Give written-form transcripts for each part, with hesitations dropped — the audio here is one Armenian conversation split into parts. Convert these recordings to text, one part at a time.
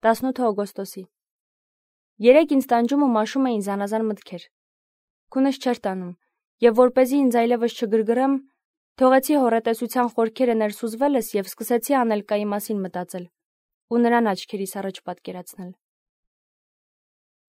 18 օգոստոսի։ Երեկ ինձ տանջում ու մաշում էին զանազան մտքեր։ Քունս չէր տանում, եւ որպեսզի ինձ այլևս չգրգռեմ, թողեցի հոռետեսության խորքերը ներսուզվելս եւ սկսեցի Անելկայի մասին մտածել ու նրան աչքերիս առաջ պատկերացնել։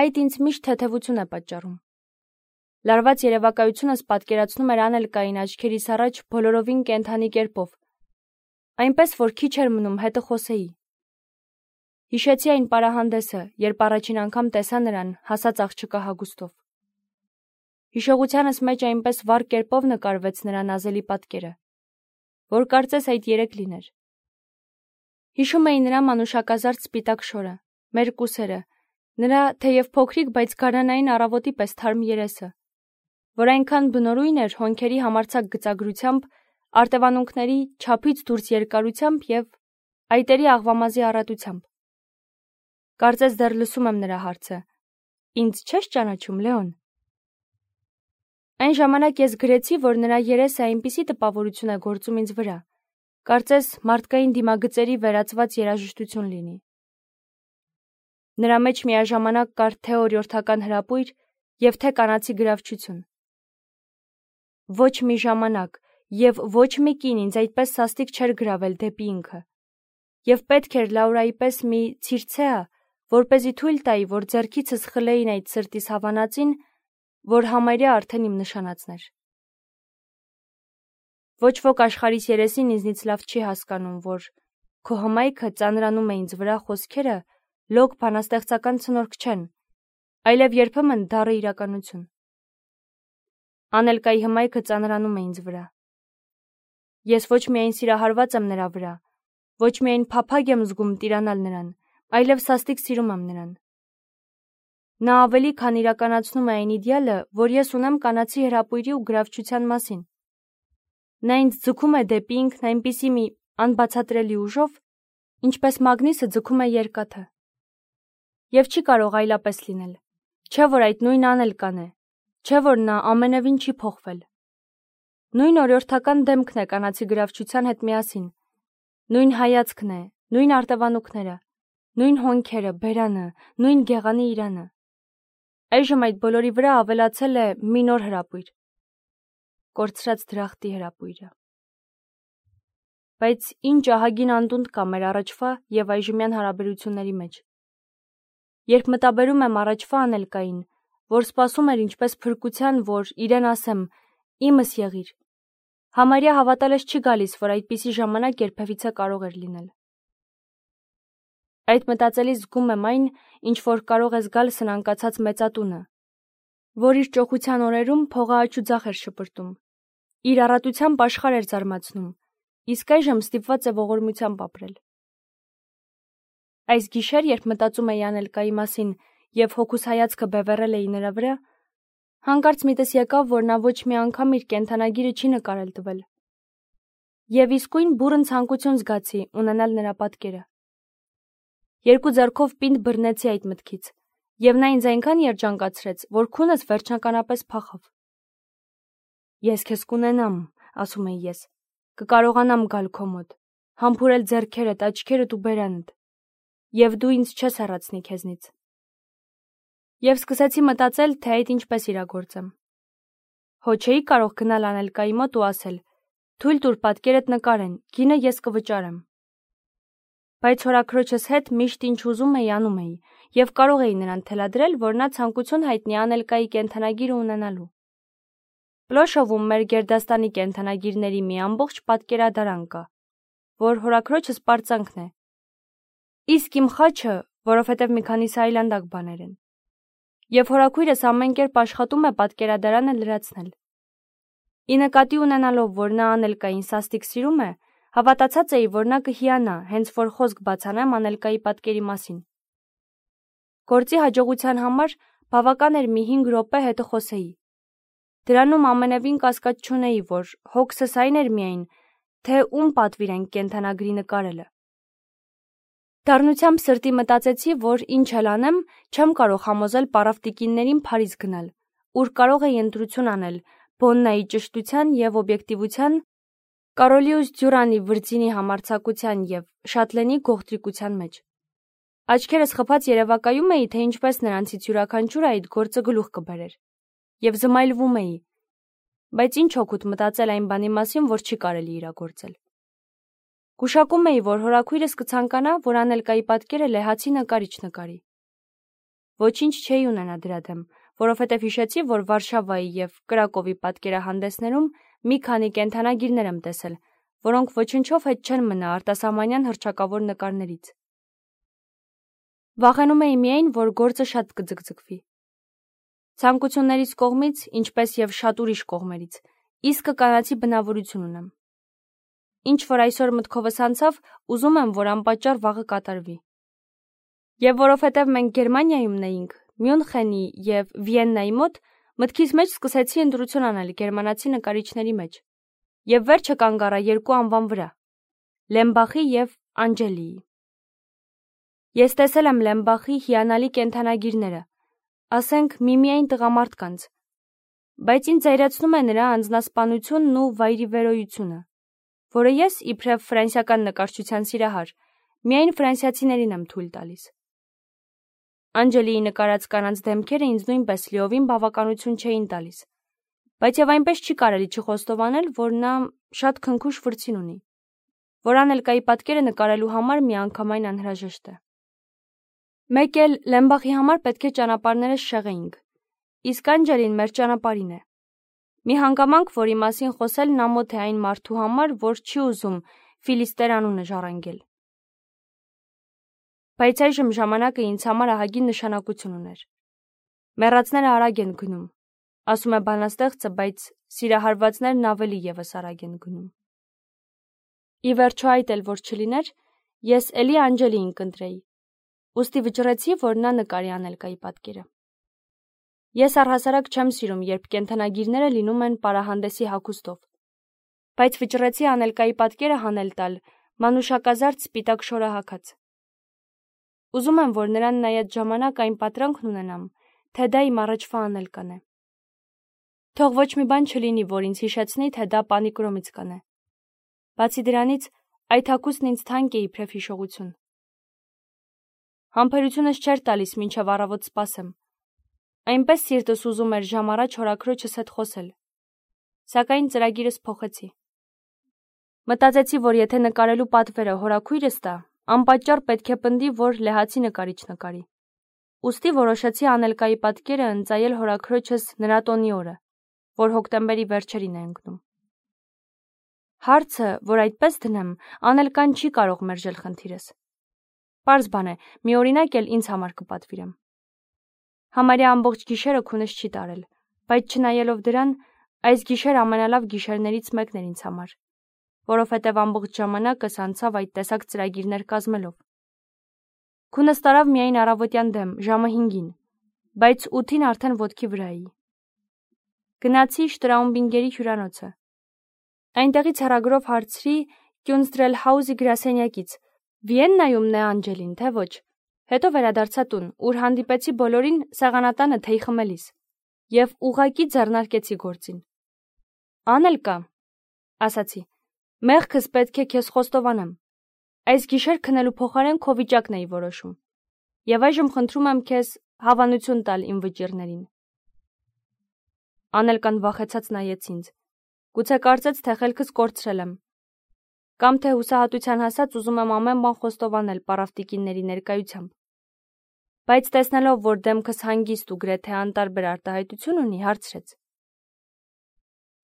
Այդ ինձ միշտ թեթևություն է պատճառում։ Լարված երևակայությունս պատկերացնում էր Անելկային աչքերիս առաջ բոլորովին կենդանի կերպով, այնպես որ քիչ էր մնում հետը խոսեի։ Հիշեցի այն պարահանդեսը, երբ առաջին անգամ տեսա նրան, հասած աղջկա հագուստով։ Հիշողությանս մեջ այնպես վառ կերպով նկարվեց նրա նազելի պատկերը, որ կարծես այդ երեկ լիներ։ Հիշում էի նրա մանուշակազարդ սպիտակ շորը, մեր կուսերը, նրա թեև փոքրիկ, բայց գարանային առավոտի պես թարմ երեսը, որ այնքան բնորույն էր հոնքերի համարձակ գծագրությամբ, արտևանունքների չափից դուրս երկարությամբ և այտերի աղվամազի առատությամբ։ Կարծես դեռ լսում եմ նրա հարցը. «Ինձ չես ճանաչում, Լեոն»։ Այն ժամանակ ես գրեցի, որ նրա երեսը այնպիսի տպավորություն է գործում ինձ վրա, կարծես մարդկային դիմագծերի վերածված երաժշտություն լինի։ Նրա մեջ միաժամանակ կար թե օրիորդական հրապույր և թե կանացի գրավչություն։ Ոչ մի ժամանակ և ոչ մի կին ինձ այդպես սաստիկ չէր գրավել դեպի ինքը, և պետք էր Լաուրայի պես մի Ցիրցեա, որպեսզի թույլ տայի, որ ձեռքիցս խլեին այդ սրտիս հավանածին, որ համարյա արդեն իմ նշանածն էր։ Ոչ ոք աշխարհիս երեսին ինձնից լավ չի հասկանում, որ քո հմայքը ծանրանում է ինձ վրա խոսքերը լոկ բանաստեղծական ցնորք չեն, այլև երբեմն դառը իրականություն։ Անելկայի հմայքը ծանրանում է ինձ վրա։ Ես ոչ միայն սիրահարված եմ նրա վրա, ոչ միայն փափագ եմ զգում տիրանալ նրան, այլև սաստիկ սիրում եմ նրան։ Նա ավելի քան իրականացնում է այն իդեալը, որ ես ունեմ կանացի հրապույրի ու գրավչության մասին։ Նա ինձ ձգում է դեպի ինքն այնպիսի մի անբացատրելի ուժով, ինչպես մագնիսը ձգում է երկաթը։ Եվ չի կարող այլապես լինել, չէ որ այդ նույն Անելկան է, չէ որ նա ամենևին չի փոխվել։ Նույն օրիորդական դեմքն է կանացի գրավչության հետ միասին, նույն հայացքն է, նույն արտևանունքները, նույն հոնքերը, բերանը, նույն գեղանի իրանը։ Այժմ այդ բոլորի վրա ավելացել է մի նոր հրապույր՝ կորցրած դրախտի հրապույրը։ Բայց ինչ ահագին անդունդ կա մեր առաջվա և այժմյան հարաբերությունների մեջ։ Երբ մտաբերում եմ առաջվա Անելկային, որ սպասում էր ինչպես փրկության, որ իրեն ասեմ, իմս եղիր, համարյա հավատալս չի գալիս, որ այդպիսի ժամանակ երբևիցե կարող էր լինել։ Այդ մտածելիս զգում եմ այն, ինչ որ կարող է զգալ սնանկացած մեծատունը, որ իր ճոխության օրերում փողը աջ ու ձախ էր շպրտում, իր առատությամբ աշխարհ էր զարմացնում, իսկ այժմ ստիպված է ողորմությամբ ապրել։ Այս գիշեր, երբ մտածում էի Անելկայի մասին և հոգուս հայացքը բևեռել էի նրա վրա, հանկարծ միտս եկավ, որ նա ոչ մի անգամ իր կենդանագիրը չի նկարել տվել։ Եվ իսկույն բուռն ցանկություն զգացի ունենալ նրա պատկերը։ Երկու ձեռքով պինդ բռնեցի այդ մտքից, և նա ինձ այնքան երջանկացրեց, որ քունս վերջնականապես փախավ։ Ես քեզ կունենամ, ասում էի ես, կկարողանամ գալ քո մոտ, համբուրել ձեռքերդ, աչքերդ ու բերանդ, և դու ինձ չես հեռացնի քեզնից։ Եվ սկսեցի մտածել, թե այդ ինչպես իրագործեմ։ Հո չէի կարող գնալ Անելկայի մոտ ու ասել. թույլ տուր պատկերդ նկարեն, գինը ես կվճարեմ։ Բայց հորաքրոջս հետ միշտ ինչ ուզում էի անում էի, և կարող էի նրան թելադրել, որ նա ցանկություն հայտնի Անելկայի կենդանագիրը ունենալու։ Պլոշովում մեր գերդաստանի կենդանագիրների մի ամբողջ պատկերադարան կա, որ հորաքրոջս պարծանքն է։ Իսկ իմ խաչը, որովհետև մի քանիսը այլանդակ բաներ են։ Եվ հորաքույրս ամեն կերպ աշխատում է պատկերադարանը լրացնել։ Ի նկատի ունենալով, որ նա Անելկային սաստիկ սիրում է, հավատացած էի, որ նա կհիանա, հենց որ խոսք բացանեմ Անելկայի պատկերի մասին։ Գործի հաջողության համար բավական էր մի 5 րոպե հետը խոսեի։ Դրանում ամենևին կասկած չունեի, որ հոգսս այն էր միայն, թե ում պատվիրենք կենդանագրի նկարելը։ Դառնությամբ սրտի մտածեցի, որ ինչ էլ անեմ, չեմ կարող համոզել պարավտիկիններին Փարիզ գնալ, ուր կարող էի ընտրություն անել Բոննայի ճշտության և օբյեկտիվության, Կարոլյուս Դյուրանի վրձինի համարձակության և Շատլենի գողտրիկության մեջ։ Աչքերս խփած երևակայում էի, թե ինչպես նրանցից յուրաքանչյուրը այդ գործը գլուխ կբերեր, եւ զմայլվում էի, բայց ինչ օգուտ մտածել այն բանի մասին, որ չի կարելի իրագործել։ Գուշակում էի, որ հորաքույրս կցանկանա, որ Անելկայի պատկերը լեհացի նկարիչ նկարի։ Ոչինչ չէի ունենա դրա դեմ, որովհետև հիշեցի, որ Վարշավայի եւ Կրակովի պատկերահանդեսներում մի քանի կենդանագիրներ եմ տեսել, որոնք ոչնչով հետ չեն մնա արտասահմանյան հռչակավոր նկարներից։ Վախենում էի միայն, որ գործը շատ կձգձգվի։ Ցանկություններից կողմից, ինչպես եւ շատ ուրիշ կողմերից, իսկը կանացի բնավորություն ունեմ։ Ինչ որ այսօր մտքովս անցավ, ուզում եմ, որ անպատճառ վաղը կատարվի։ Եվ որովհետև մենք Գերմանիայում նեինք, Մյունխենի եւ Վիեննայի մոտ, մտքիս մեջ սկսեցի ընտրություն անել գերմանացի նկարիչների մեջ։ Եվ վերջը կանգ առա երկու անվան վրա՝ Լեմբախի եւ Անջելիի։ Ես տեսել եմ Լեմբախի հիանալի կենդանագիրները, ասենք միմիայն տղամարդկանց, բայց ինձ զայրացնում է նրա անձնասպանությունն ու վայրիվերոյությունը, որը ես, իբրև ֆրանսիական նկարչության սիրահար, միայն ֆրանսիացիներին եմ թույլ տալիս։ Անջելիի նկարած կանանց դեմքերը ինձ նույնպես լիովին բավականություն չէին տալիս, բայց եւ այնպես չի կարելի չխոստովանել, որ նա շատ քնքուշ վրձին ունի, որ Անելկայի պատկերը նկարելու համար միանգամայն անհրաժեշտ է։ Մեկ էլ Լեմբախի համար պետք է ճանապարհներս շեղեինք, իսկ Անջելին մեր ճանապարհին է։ Մի հանգամանք, որի մասին խոսելն ամոթ է այն մարդու համար, որ չի ուզում Ֆիլիստեր անունը ժառանգել։ Բայց այժմ ժամանակը ինձ համար ահագին նշանակություն ուներ։ Մեռածները արագ են գնում, ասում է բանաստեղծը, բայց սիրահարվածներն ավելի եւս արագ են գնում։ Ի վերջո այդ էլ որ չլիներ, ես էլի Անջելիին կընտրեի, ուստի վճռեցի, որ նա նկարի Անելկայի պատկերը։ Ես առհասարակ չեմ սիրում, երբ կենդանագիրները լինում են պարահանդեսի հագուստով, բայց վճռեցի Անելկայի պատկերը հանել տալ մանուշակազարդ սպիտակ շորահագած։ Ուզում եմ, որ նրան նայած ժամանակ այն պատրանքն ունենամ, թե դա իմ առաջվա Անելկան է։ Թող ոչ մի բան չլինի, որ ինձ հիշեցնի, թե դա Պանիկրոմից կանե։ Բացի դրանից, այդ հագուստն ինձ թանկ է իբրև հիշողություն։ Համբերությունս չէր տալիս մինչև առավոտ սպասեմ։ Այնպես սիրտս ուզում էր ժամ առաջ հորաքրոջս հետ խոսել։ Սակայն ծրագիրս փոխեցի։ Մտածեցի, որ եթե նկարելու պատվերը հորաքույրս տա, անպատճառ պետք է պնդի, որ լեհացի նկարիչ նկարի։ Ուստի որոշեցի Անելկայի պատկերը ընծայել հորաքրոջս նրա տոնի օրը, որ հոկտեմբերի վերջերին է ընկնում։ Հարցը, որ այդպես դնեմ, Անելկան չի կարող մերժել խնդիրս։ Պարզ բան է, մի օրինակ էլ ինձ համար կպատվիրեմ։ Համարյա ամբողջ գիշերը քունս չի տարել, բայց չնայելով դրան, այս գիշեր ամենալավ գիշերներից մեկն էր ինձ համար, որովհետև ամբողջ ժամանակս անցավ այդ տեսակ ծրագիրներ կազմելով։ Քունս տարավ միայն առավոտյան դեմ, ժամը 5-ին, բայց 8-ին արդեն ոտքի վրա էի։ Գնացի Շտրաումբինգերի հյուրանոցը։ Այնտեղից հեռագրով հարցրի Կյունստրելհաուզի գրասենյակից, Վիեննայում է Անջելին, թե ոչ։ Հետո վերադարձա տուն, ուր հանդիպեցի բոլորին սեղանատանը թեյ խմելիս, եւ ուղղակի ձեռնարկեցի գործին։ Անելկա, ասացի, մեղքս պետք է քեզ խոստովանեմ։ Այս գիշեր քնելու փոխարեն քո վիճակն էի որոշում։ Եվ այժմ խնդրում եմ քեզ հավանություն տալ իմ վճիռներին։ Անելկան վախեցած նայեց ինձ։ Գուցե կարծեց, թե խելքս կորցրել եմ։ Կամ թե հուսահատության հասած ուզում եմ ամեն բան խոստովանել պարավտիկինների ներկայությամբ։ Բայց տեսնելով, որ դեմքս հանգիստ ու գրեթե անտարբեր արտահայտություն ունի, հարցրեց.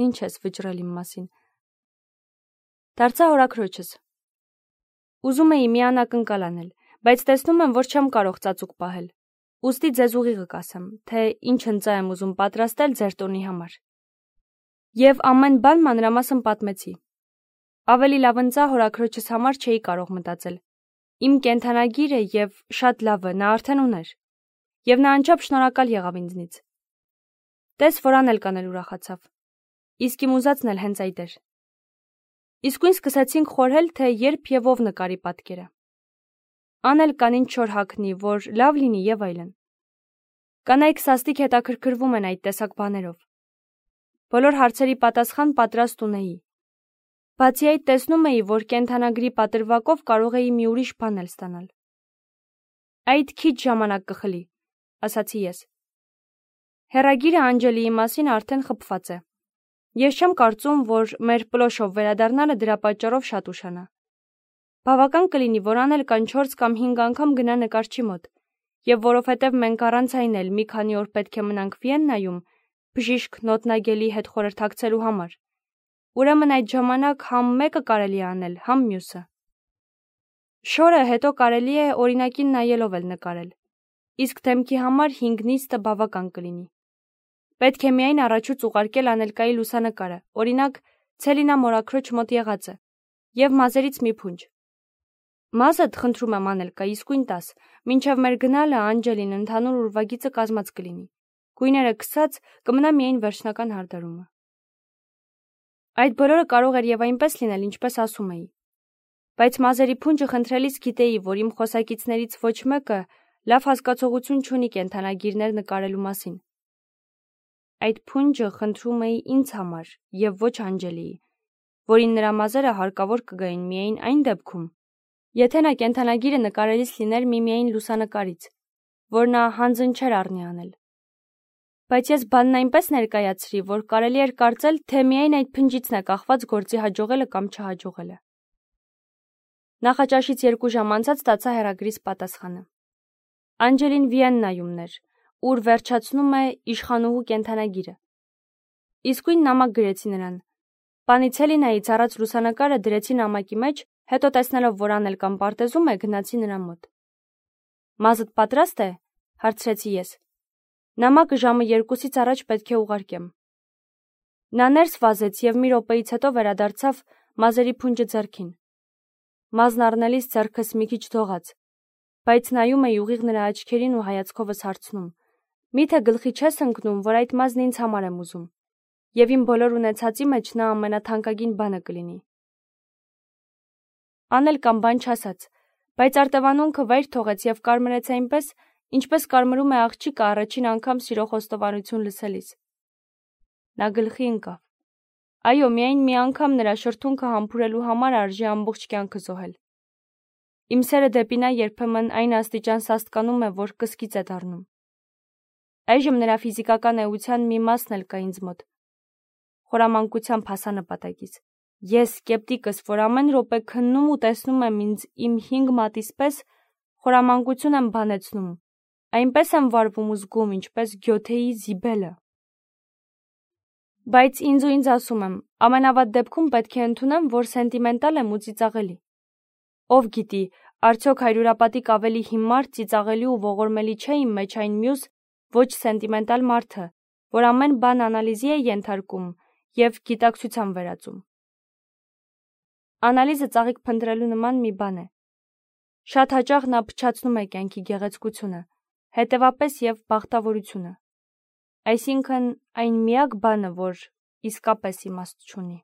Ինչ ես վճռել իմ մասին։ Դարձա հորաքրոջս։ Ուզում էի մի անակնկալ անել, բայց տեսնում եմ, որ չեմ կարող ծածուկ պահել։ Ուստի ձեզ ուղիղը կասեմ, թե ինչ ընծա եմ ուզում պատրաստել ձեր տոնի համար։ Եվ ամեն բան մանրամասն պատմեցի։ Ավելի լավ ընծա հորաքրոջս համար չէի կարող մտածել։ Իմ կենդանագիրը եւ շատ լավը նա արդեն ուներ։ Եվ նա անչափ շնորհակալ եղավ ինձնից։ Տես, որ Անելկան էլ ուրախացավ։ Իսկ իմ ուզածն էլ հենց այդ էր։ Իսկույն սկսեցինք խորհել, թե երբ եւ ով նկարի պատկերը։ Անելկան ինչ որ հագնի, որ լավ լինի եւ այլն։ Կանայք սաստիկ հետաքրքրվում են այդ տեսակ բաներով։ Բոլոր հարցերի պատասխան պատրաստ ունեի։ Բացի այդ տեսնում էի, որ կենդանագրի պատրվակով կարող էի մի ուրիշ բան էլ ստանալ։ Այդ քիչ ժամանակ կխլի, ասացի ես։ Հեռագիրը Անջելիի մասին արդեն խփված է։ Ես չեմ կարծում, որ մեր պլոշով վերադառնալը դրա պատճառով շատ ուշանա։ Բավական կլինի, որ անել կան 4 կամ 5 անգամ գնա նկարչի մոտ, եւ որովհետեւ մենք առանց այն էլ մի քանի օր պետք է մնանք Վիեննայում, բժիշկ նոտնագելի հետ խորհրդակցելու համար։ Ուրեմն այդ ժամանակ համ մեկը կարելի է անել, համ մյուսը։ Շորը հետո կարելի է օրինակին նայելով էլ նկարել, իսկ դեմքի համար 5 նիստը բավական կլինի։ Պետք է միայն առաջուց ուղարկել անելկայի լուսանկարը, օրինակ Ցելինա մորաքրոջ մոտ եղածը, եւ մազերից մի փունջ։ Մազդ խնդրում եմ անելկա, իսկույն տաս, մինչև մեր գնալը Անջելին ընդհանուր ուրվագիծը կազմած կլինի։ Գույները քսած կմնա միայն վերջնական հարդարումը։ Այդ բոլորը կարող էր եւ այնպես լինել, ինչպես ասում էի։ Բայց մազերի փունջը խնդրելիս գիտեի, որ իմ խոսակիցներից ոչ մեկը լավ հասկացողություն չունի կենդանագիրներ նկարելու մասին։ Այդ փունջը խնդրում էի ինձ համար եւ ոչ Անջելիի, որին նրա մազերը հարկավոր կգային միայն այն դեպքում, եթե նա կենդանագիրը նկարելիս լիներ միմիայն լուսանկարից, որ նա հանձն չէր առնի անել։ Բայց ես բանն այնպես ներկայացրի, որ կարելի էր կարծել, թե միայն այդ փնջիցն է կախված գործի հաջողելը կամ չհաջողելը։ Նախաճաշից 2 ժամ անցած ստացա հեռագրիս պատասխանը։ Անջելին Վիեննայումն էր, ուր վերջացնում է իշխանուհու կենդանագիրը։ Իսկույն նամակ գրեցի նրան։ Պանի Ցելինայից առած լուսանկարը դրեցի նամակի մեջ, հետո տեսնելով, որ Անելկան պարտեզում է, գնացի նրա մոտ։ Մազդ պատրաստ է, հարցրեցի ես։ Նամակը ժամը 2-ից առաջ պետք է ուղարկեմ։ Նա ներս վազեց եւ մի րոպեից հետո վերադարձավ մազերի փունջը ձեռքին։ Մազն առնելիս ձեռքս մի քիչ դողաց, բայց նայում էի ուղիղ նրա աչքերին ու հայացքովս հարցնում. Միթե գլխի չես ընկնում, որ այդ մազն ինձ համար եմ ուզում, եւ իմ բոլոր ունեցածի մեջ նա ամենաթանկագին բանը կլինի։ Անելկան բան չասաց, բայց արտևանունքը վայր թողեց եւ կարմրեց այնպես, ինչպես կարմրում է աղջիկը առաջին անգամ սիրո խոստովանություն լսելիս։ Նա գլխի ընկավ։ Այո, միայն մի անգամ նրա շրթունքը համբուրելու համար արժի ամբողջ կյանքը զոհել։ Իմ սերը դեպի նա երբեմն այն աստիճան սաստկանում է, որ կսկիծ է դառնում։ Այժմ նրա ֆիզիկական էության մի մասն էլ կա ինձ մոտ։ Խորամանկությամբ հասա նպատակից։ Ես սկեպտիկս, որ ամեն րոպե քննում ու տեսնում եմ ինձ իմ 5 մատից պես, խորամանկություն եմ բանեցնում, այնպես եմ վարվում ու զգում, ինչպես Գյոթեի Զիբելը։ Բայց ինձ ու ինձ ասում եմ, ամենավատ դեպքում պետք է ընդունեմ, որ սենտիմենտալ եմ ու ծիծաղելի։ Ով գիտի, արդյոք հարյուրապատիկ ավելի հիմար, ծիծաղելի ու ողորմելի չէ իմ մեջ այն մյուս ոչ սենտիմենտալ մարդը, որ ամեն բան անալիզի է ենթարկում եւ գիտակցության վերածում։ Անալիզը ծաղիկ փնտրելու նման մի բան է։ Շատ հաճախ նա փչացնում է կյանքի գեղեցկությունը, հետևապես եւ բախտավորությունը։ Այսինքն այն միակ բանը, որ իսկապես իմաստ չունի։